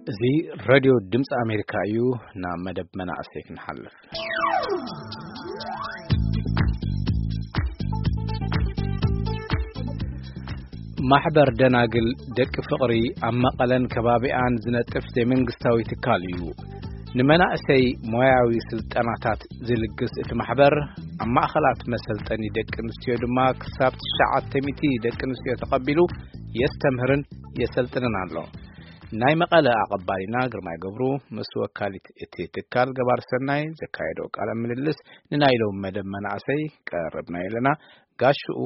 እዚ ሬድዮ ድምፂ ኣሜሪካ እዩ። ናብ መደብ መናእሰይ ክንሓልፍ። ማሕበር ደናግል ደቂ ፍቕሪ ኣብ መቐለን ከባቢኣን ዝነጥፍ ዘይመንግስታዊ ትካል እዩ። ንመናእሰይ ሞያዊ ስልጠናታት ዝልግስ እቲ ማሕበር፣ ኣብ ማእኸላት መሰልጠኒ ደቂ ኣንስትዮ ድማ ክሳብ ትሽዓተ ሚእቲ ደቂ ኣንስትዮ ተቐቢሉ የስተምህርን የሰልጥንን ኣሎ። ናይ መቐለ ኣቐባሊና ግርማይ ገብሩ ምስ ወካሊት እቲ ትካል ገባር ሰናይ ዘካየዶ ቃለ ምልልስ ንናይ ሎም መደብ መናእሰይ ቀረብና ኣለና። ጋሽኡ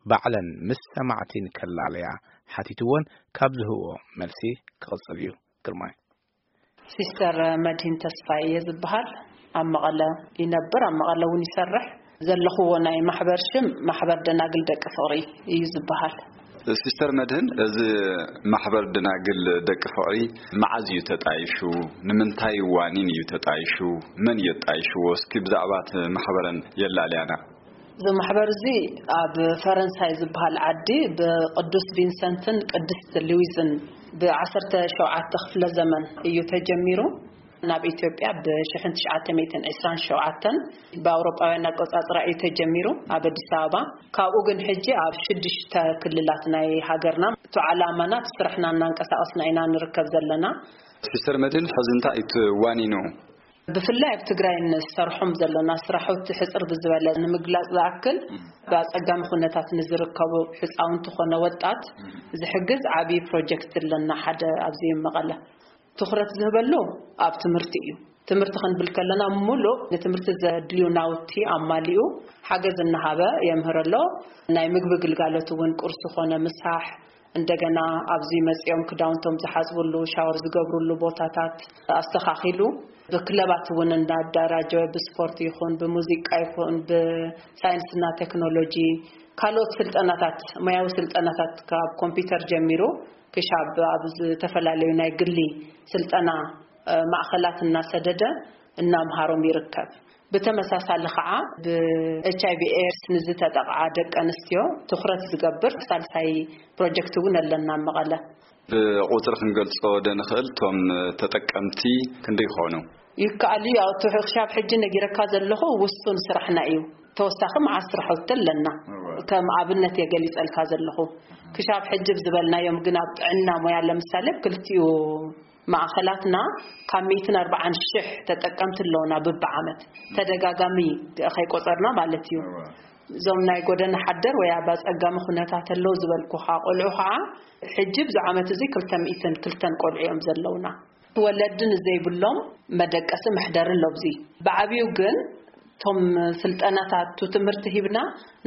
ባዕለን ምስ ሰማዕቲ ንከላለያ ሓቲትወን ካብ ዝህብዎ መልሲ ክቕጽል እዩ። ግርማይ። ሲስተር መድሂን ተስፋይ እየ ዝበሃል። ኣብ መቐለ ይነብር፣ ኣብ መቐለ እውን ይሰርሕ። ዘለኹዎ ናይ ማሕበር ሽም ማሕበር ደናግል ደቂ ፍቕሪ እዩ ዝበሃል። ሲስተር መድህን፣ እዚ ማሕበር ደናግል ደቂ ፍቕሪ መዓዝ እዩ ተጣይሹ? ንምንታይ ዋኒን እዩ ተጣይሹ? መን እዩ ኣጣይሽዎ? እስኪ ብዛዕባ እቲ ማሕበረን የላልያና። እዚ ማሕበር እዚ ኣብ ፈረንሳይ ዝበሃል ዓዲ ብቅዱስ ቪንሰንትን ቅድስት ሉዊዝን ብ ዓሰርተ ሸውዓተ ክፍለ ዘመን እዩ ተጀሚሩ። ናብ ኢትዮጵያ ብ ሽሕን ትሽዓተ ሚእትን ዕስራን ሸውዓተን ብኣውሮጳውያን ኣቆጻጽራ እዩ ተጀሚሩ ኣብ ኣዲስ ኣበባ። ካብኡ ግን ሕጂ ኣብ ሽዱሽተ ክልላት ናይ ሃገርና እቲ ዓላማና እቲ ስራሕና እናንቀሳቐስና ኢና ንርከብ ዘለና። ሲስተር መድህን፣ ሕዚ እንታይ እዩ ዋኒኑ? ብፍላይ ኣብ ትግራይ ንሰርሖም ዘለና ስራሕቲ ሕጽር ብዝበለ ንምግላጽ ዝኣክል፣ ብኣጸጋሚ ኩነታት ንዝርከቡ ህጻውንቲ ኮነ ወጣት ዝሕግዝ ዓብዪ ፕሮጀክት ኣለና። ሓደ ኣብዚ መቐለ ትኹረት ዝህበሉ ኣብ ትምህርቲ እዩ። ትምህርቲ ክንብል ከለና፣ ሙሉእ ንትምህርቲ ዘድልዩ ናውቲ ኣማሊኡ ሓገዝ እናሃበ የምህር ኣሎ። ናይ ምግቢ ግልጋሎት እውን፣ ቁርሲ ኮነ ምሳሕ፣ እንደገና ኣብዚ መጺኦም ክዳውንቶም ዝሓጽብሉ፣ ሻወር ዝገብርሉ ቦታታት ኣስተኻኺሉ፣ ብክለባት እውን እንዳደራጀወ፣ ብስፖርት ይኹን ብሙዚቃ ይኹን ብሳይንስና ቴክኖሎጂ፣ ካልኦት ስልጠናታት፣ ሞያዊ ስልጠናታት ካብ ኮምፒውተር ጀሚሩ ክሻብ ኣብ ዝተፈላለዩ ናይ ግሊ ስልጠና፣ እ፣ ማእኸላት እናሰደደ እናምሃሮም ይርከብ። ብተመሳሳሊ ከዓ ብ ኤች ኣይ ቪ ኤድስ ንዝተጠቕዓ ደቂ ኣንስትዮ ትኹረት ዝገብር ሳልሳይ ፕሮጀክት እውን ኣለና ኣብ መቐለ። ብቁፅሪ ክንገልፆ ዶ ንኽእል? እቶም ተጠቀምቲ ክንደይ ይኾኑ? ይከኣል እዩ። ያው እቲ ክሻብ ሕጂ ነጊረካ ዘለኹ ውሱን ስራሕና እዩ። ተወሳኺ መዓት ስራሕቲ ኣለና። እወ። ከም ኣብነት እየ ገሊፀልካ ዘለኹ። ክሻብ ሕጂ ብዝበልናዮም ግን ኣብ ጥዕና ሞያ ለምሳሌ ኣብ ክልቲኡ ማእኸላትና ካብ ሚእትን ኣርባዓን ሽሕ ተጠቀምቲ ኣለውና ብብዓመት። ተደጋጋሚ ከይቆፀርና ማለት እዩ። እወ። እዞም ናይ ጎደና ሓደር ወይ ኣብ ኣፀጋሚ ኩነታት ኣለዉ ዝበልኩኻ ቆልዑ ከዓ ሕጂ ብዚ ዓመት እዚ ክልተ ሚእትን ክልተን ቆልዑ እዮም ዘለውና። ወለዲ ንዘይብሎም መደቀሲ መሕደሪ ኣሎ። ኣብዚ ብዓብዩ ግን እቶም ስልጠናታት ትምህርቲ ሂብና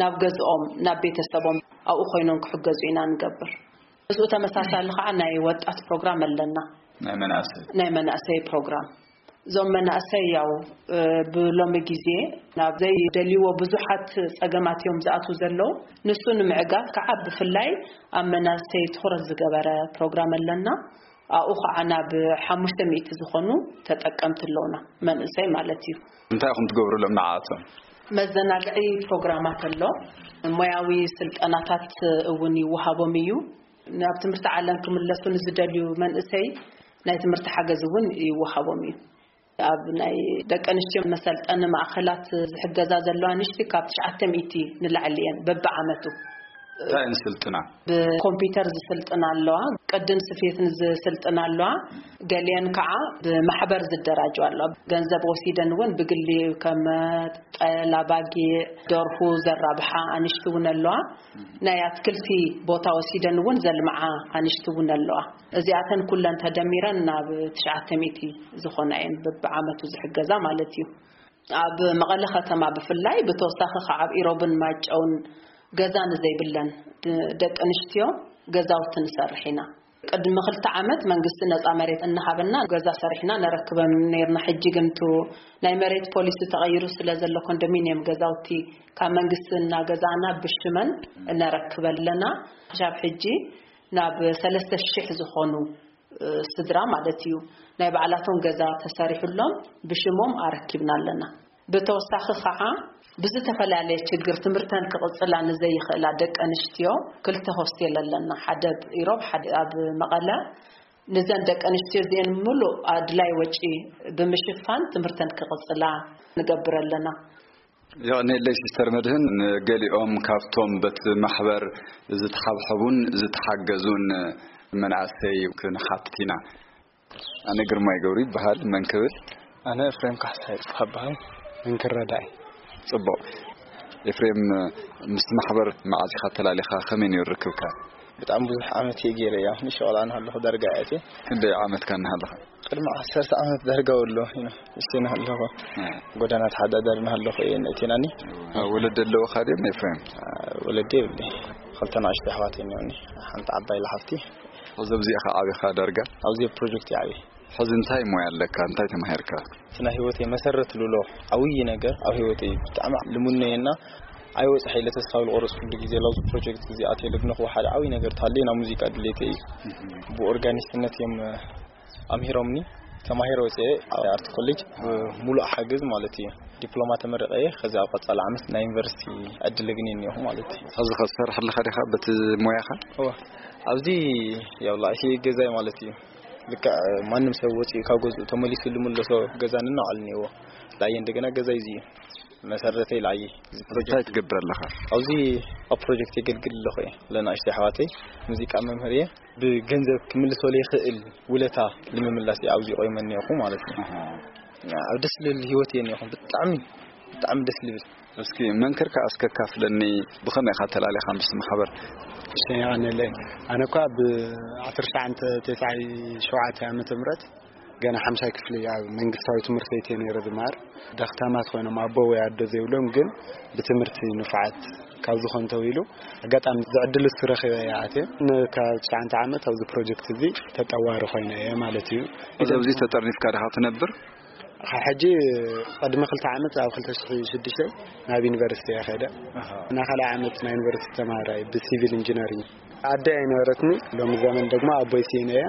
ናብ ገዝኦም፣ ናብ ቤተሰቦም ኣብኡ ኮይኖም ክሕገዙ ኢና ንገብር። ምስኡ ተመሳሳሊ ከዓ ናይ ወጣት ፕሮግራም ኣለና። ናይ መናእሰይ። ናይ መናእሰይ ፕሮግራም። እዞም መናእሰይ ያው፣ እ፣ ብሎሚ ግዜ ናብ ዘይደልይዎ ብዙሓት ጸገማት እዮም ዝኣትዉ ዘለዉ። ንሱ ንምዕጋት ከዓ ብፍላይ ኣብ መናእሰይ ትኹረት ዝገበረ ፕሮግራም ኣለና። ኣብኡ ከዓ ናብ ሓሙሽተ ሚእቲ ዝኾኑ ተጠቀምቲ ኣለዉና፣ መንእሰይ ማለት እዩ። እንታይ ኢኹም ትገብሩሎም ንዓኣቶም? መዘናግዒ ፕሮግራማት ኣሎ፣ ሞያዊ ስልጠናታት እውን ይወሃቦም እዩ። ናብ ትምህርቲ ዓለም ክምለሱ ንዝደልዩ መንእሰይ ናይ ትምህርቲ ሓገዝ እውን ይወሃቦም እዩ። ኣብ ናይ ደቂ ኣንስትዮ መሰልጠኒ ማእኸላት ዝሕገዛ ዘለዋ ንሽቲ ካብ ትሽዓተ ሚእቲ ንላዕሊ እየን በብዓመቱ። እንታይ እየን ዝስልጥና? ብኮምፒውተር ዝስልጥና ኣለዋ፣ ቅድን ስፌትን ዝስልጥና ኣለዋ፣ ገሊአን ከዓ ብማሕበር ዝደራጀዋ ኣለዋ። ገንዘብ ወሲደን እውን ብግሊ ከም ጠል፣ ኣባጊዕ፣ ደርሁ ዘራብሓ ኣንሽቲ እውን ኣለዋ። ናይ ኣትክልቲ ቦታ ወሲደን እውን ዘልምዓ ኣንሽቲ እውን ኣለዋ። እዚኣተን ኩለን ተደሚረን ናብ ትሽዓተ ሚእቲ ዝኾና እየን በብዓመቱ ዝሕገዛ ማለት እዩ። ኣብ መቐለ ከተማ ብፍላይ፣ ብተወሳኺ ከዓ ኣብ ኢሮብን ማይጨውን ገዛ ንዘይብለን ድ-፣ ደቂ ኣንስትዮ ገዛውቲ ንሰርሕ ኢና። ቅድሚ ክልተ ዓመት መንግስቲ ነፃ መሬት እናሃበና ገዛ ሰሪሕና ነረክበን ነርና። ሕጂ ግን እቱ ናይ መሬት ፖሊሲ ተቐይሩ ስለ ዘሎ፣ ኮንዶሚንየም ገዛውቲ ካብ መንግስቲ እናገዛእና ብሽመን ነረክብ ኣለና። ክሻብ ሕጂ ናብ ሰለስተ ሽሕ ዝኾኑ፣ እ፣ ስድራ ማለት እዩ፣ ናይ ባዕላቶም ገዛ ተሰሪሑሎም ብሽሞም ኣረኪብና ኣለና። ብተወሳኺ ከዓ ብዝተፈላለየ ችግር ትምህርተን ክቕጽላ ንዘይኽእላ ደቂ ኣንስትዮ ክልተ ሆስቴል ኣለና፣ ሓደ ኣብ ኢሮብ፣ ሓደ ኣብ መቐለ። ንዘን ደቂ ኣንስትዮ እዚአን ምሉእ ኣድላይ ወጪ ብምሽፋን ትምህርተን ክቕጽላ ንገብር ኣለና። የቕኔለይ ሲስተር መድህን፣ ንገሊኦም ካብቶም በቲ ማሕበር ዝተሓብሐቡን ዝተሓገዙን መናእሰይ ክንሓትት ኢና። ኣነ ግርማይ ገብሩ ይበሃል። መን ክብል? ኣነ ኤፍሬም ካሕሳ ይጽፋ በሃል። መንክር ረዳኢ። ጽቡቕ። ኤፍሬም፣ ምስቲ ማሕበር መዓዝ ኢኻ ተላሊኻ? ከመይ ነይሩ ርክብካ? ብጣዕሚ ብዙሕ ዓመት እየ ገይረ እያ። ንሸቕላ እናሃለኹ ዳርጋ እያ እትየ። ክንደይ ዓመትካ እናሃለኻ? ቅድሚ ዓሰርተ ዓመት ዳርጋ ወሎ ኢና እሽተይ እናሃለኹ። እ። ጎዳና ተሓዳዳሪ እናሃለኹ እየ ነእቲናኒ። እ፣ ወለዲ ኣለውኻ ድዮም ኤፍሬም? እ፣ ወለዲ የብለይ። ክልተ ንኣሽቱ ኣሕዋት እኒኦኒ። ሓንቲ ዓባይ ለሓፍቲ። ሕዚ ኣብዚኣ ኢኻ ዓቢኻ ዳርጋ? ኣብዚ ፕሮጀክት እየ ዓብየ። ሕዚ እንታይ ሞያ ኣለካ? እንታይ ተማሂርካ? እቲ ናይ ህይወተይ መሰረት ልብሎ ዓብዪ ነገር ኣብ ህይወተይ ብጣዕሚ ልሙነየና ኣይወፅሐ ኢለ ተስፋ ዝቆረፅኩሉ ግዜ ኣብዚ ፕሮጀክት እዚ ኣትየ ልግነኹ ሓደ ዓብዪ ነገር ተሃልየ ናብ ሙዚቃ ድሌተይ እዩ። ብኦርጋኒስትነት እዮም ኣምሂሮምኒ። ተማሂረ ወፅአ ኣብ ኣርት ኮሌጅ ብሙሉእ ሓገዝ ማለት እዩ። ዲፕሎማ ተመረቀ እየ። ከዚ ኣብ ቀፃሊ ዓመት ናይ ዩኒቨርሲቲ ዕድል እግኒ እኒኹ ማለት እዩ። ሕዚ ከሰርሕ ኣለኻ ዲኻ በቲ ሞያኻ? እወ። ኣብዚ ያው ላእሲ ገዛይ ማለት እዩ። ልክዕ ማንም ሰብ ወፂኡ ካብ ገዝኡ ተመሊሱ ልምለሶ ገዛ ንናዕል እኒዎ። ላየ እንደገና ገዛይ እዚ እዩ። መሰረተይ ላየ። እዚ እንታይ ፕሮጀክት ትገብር ኣለኻ? ኣብዚ ኣብ ፕሮጀክት የገልግል ኣለኹ እየ። ለናእሽተይ ኣሕዋተይ ሙዚቃ መምህር እየ። ብገንዘብ ክምልሶ ዘይኽእል ውለታ ንምምላስ እየ ኣብዚ ቆይመ እኒኹ ማለት እዩ። ኣብ ደስ ልብል ህይወት እየ እኒኹ። ብጣዕሚ ብጣዕሚ ደስ ልብል። እስኪ መንክር ከኣ እስከ ካፍለኒ፣ ብኸመይ ኢኻ ተላሊኻ ምስ ማሕበር? እሺ፣ የቐንየለይ። ኣነ እኳ ብ ዓሰርተ ትሽዓተ ዓመተ ምህረት ገና ሓምሻይ ክፍሊ ኣብ መንግስታዊ ትምህርቲ ቤት እየ ነይረ ዝመሃር። ደኽታማት ኮይኖም ኣቦ ወይ ኣዶ ዘይብሎም ግን ብትምህርቲ ንፉዓት ካብ ዝኾን ተው ኢሉ ኣጋጣሚ ዝዕድል እሱ ረኺበ እየ ኣትየ። ን-፣ ካብ ትሽዓተ ዓመት ኣብዚ ፕሮጀክት እዚ ተጠዋሪ ኮይነ እየ ማለት እዩ። እዚ ኣብዚ ተጠርኒፍካ ዲኻ ትነብር? ካብ ሕጂ ቅድሚ ክልተ ዓመት ኣብ ክልተ ሽሕን ሽዱሽተን ናብ ዩኒቨርሲቲ እየ ከይደ። ኣሃ። እና ካልኣይ ዓመት ናይ ዩኒቨርሲቲ ተማሃራይ ብሲቪል ኢንጂነሪንግ። ኣደ ኣይነበረትኒ፣ ሎሚ ዘመን ደግሞ ኣቦይ ስኢነ እየ።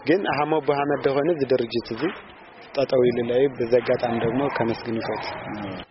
ግን ሃሞ ኣቦ ሃመድ ደኾነ እዚ ድርጅት እዚ ጠጠው ኢሉለይ፣ በዚ ኣጋጣሚ ደግሞ ከመስግን ይፈቱ።